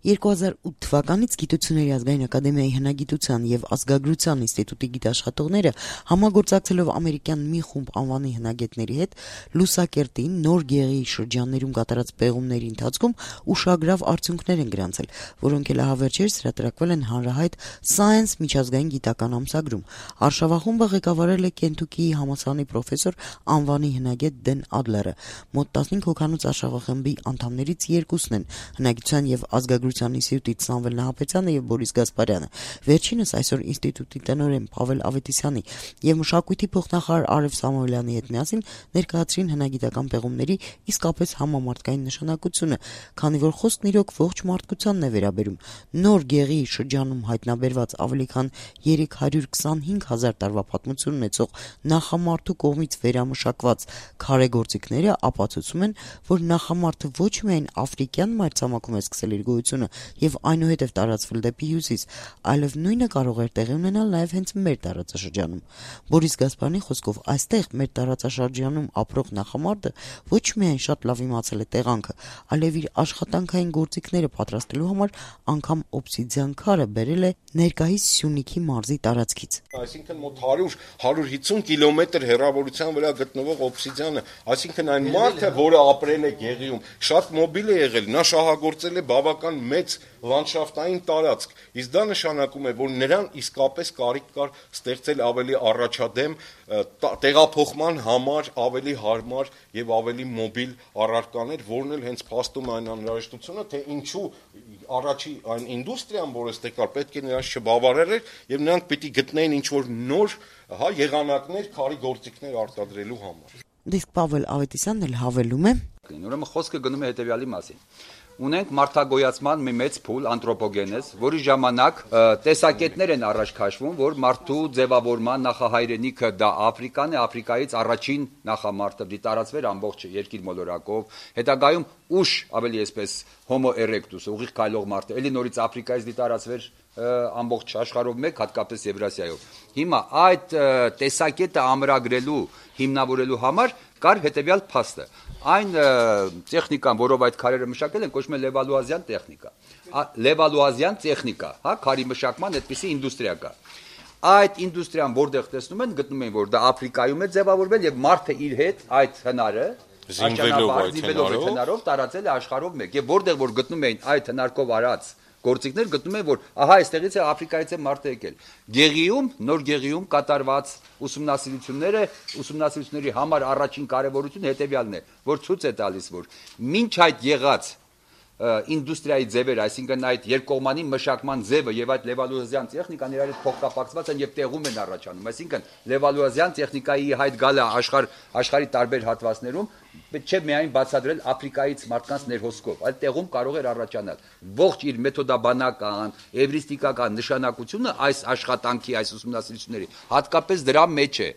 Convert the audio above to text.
2008 թվականից Գիտությունների ազգային ակադեմիայի հնագիտության եւ ազգագրության ինստիտուտի գիտաշխատողները համագործակցելով ամերիկյան մի խումբ անվանի հնագետների հետ Լուսակերտին նոր գեղի շրջաններում կատարած պեղումների ընթացքում ուշագրավ արդյունքներ են գրանցել, որոնք էլ ահավերժերս հրատարակվել են հանրահայտ Science միջազգային գիտական ամսագրում։ Արշավախումբը ղեկավարել է Կենտուկիի համալսարանի պրոֆեսոր անվանի հնագետ Դեն Ադլերը։ Մոտ 15 հոգանոց արշավախմբի անդամներից երկուսն են հնագիտության եւ ազգագրության ինստիտուտից Սամվել Նահապետյանը եւ Բորիս Գասպարյանը։ Վերջինս այսօր ինստիտուտի տնօրեն Պավել Ավետիսյանի եւ մշակույթի փոխնախարար Արև Սամոյլյանի հետ միասին ներկայացրին հնագիտական պեղումների իսկապես համամարտկային նշանակությունը, քանի որ խոսքն իրոք ողջ մարդկությանն է վերաբերում։ Նոր գեղի շրջանում հայտնաբերված ավելի քան 325,000 տարվա պատմություն ունեցող նախամարդու կողմից վերամշակված քարեգործիքները ապացուցում են, որ նախամարդը ոչ միայն աֆրիկյան մայրցամաքում է սկսել իր գոյությունը եւ այնուհետեւ տարածվել դեպի հյուսիս, այլև նույնը կարող էր տեղի ունենալ նաեւ հենց մեր տարածաշրջանում։ Բորիս Գասպարյանի խոսքով այստեղ մեր տարածաշրջանում ապրող նախամարդը ոչ միայն շատ լավ իմացել է տեղանքը, այլև իր աշխատանքային գործիքները պատրաստելու համար անգամ օբսիդիան քարը բերել է ներկայիս Սյունիքի մարզի տարածքից։ Այսինքն մոտ 100-150 կիլոմետր հեռավորության վրա գտնվող օբսիդիանը, այսինքն այն մարդը, որը ապրել է գեղիում, շատ մոբիլ է եղել, նա շահագործել է բավական մեծ լանդշաֆտային տարածք, իսկ դա նշանակում է, որ նրան իսկապես կարիք կար ստեղծել ավելի առաջադեմ տեղափոխման համար ավելի հարմար եւ ավելի մոբիլ առարկաներ, որն էլ հենց փաստում է այն անհրաժեշտությունը, թե ինչու առաջի այն ինդուստրիան, որը ստեղ կար, պետք է նրանց չբավարարեր եւ նրանք պիտի գտնեին ինչ-որ նոր եղանակներ, քարի գործիքներ արտադրելու համար։ Իսկ Պավել Ավետիսյանն էլ հավելում է. Ուրեմն խոսքը գնում է հետեւյալի մասին։ Ունենք մարդագոյացման մի մեծ փուլ անտրոպոգենез, որի ժամանակ տեսակետներ են առաջ քաշվում, որ մարդու ձևավորման նախահայրենիքը դա Աֆրիկան է, Աֆրիկայից առաջին նախամարտը դի տարածվեր ամբողջ երկիր մոլորակով, հետագայում ուշ ավելի այսպես Homo erectus, ուղիղ քայլող մարդը, ելի նորից Աֆրիկայից դի տարածվեր ամբողջ աշխարհով մեկ, հատկապես Եվրասիայով։ Հիմա այդ տեսակետը ամրագրելու, հիմնավորելու համար կար հետևյալ փաստը։ Այն տեխնիկան, որով այդ քարերը մշակել են, կոչվում է Լևալուազյան տեխնիկա։ Լևալուազյան տեխնիկա, քարի մշակման այդպիսի ինդուստրիա կա։ Այդ ինդուստրիան որտեղ տեսնում են, գտնում են, որ դա Աֆրիկայում է ձևավորվել եւ մարդը իր հետ այդ հնարը զինվելով հնարով տարածել է աշխարհով մեկ։ Եվ որտեղ որ գտնում էին այդ հնարկով արած գործիքներ, գտնում են, որ ահա այստեղից է Աֆրիկայից է մարդը եկել։ Գեղիում, նոր գեղիում կատարված ուսումնասիրությունների համար առաջին կարևորությունը հետևյալն է, որ ցույց է տալիս, որ մինչ այդ եղած ինդուստրիայի ձևերը, այսինքն այդ երկկողմանի մշակման ձևը եւ այդ Լևալուազյան տեխնիկան իրար հետ փոխկապակցված են եւ տեղում են առաջանում։ Այսինքն Լևալուազյան տեխնիկայի հայտ գալը աշխարհի տարբեր հատվածներում չէ միայն բացատրել Աֆրիկայից մարդկանց ներհոսքով, այլ տեղում կարող էր առաջանալ։ Ողջ իր մեթոդաբանական, էվրիստիկական նշանակությունը այս աշխատանքի, այս ուսումնասիրությունների հատկապես դրա մեջ է։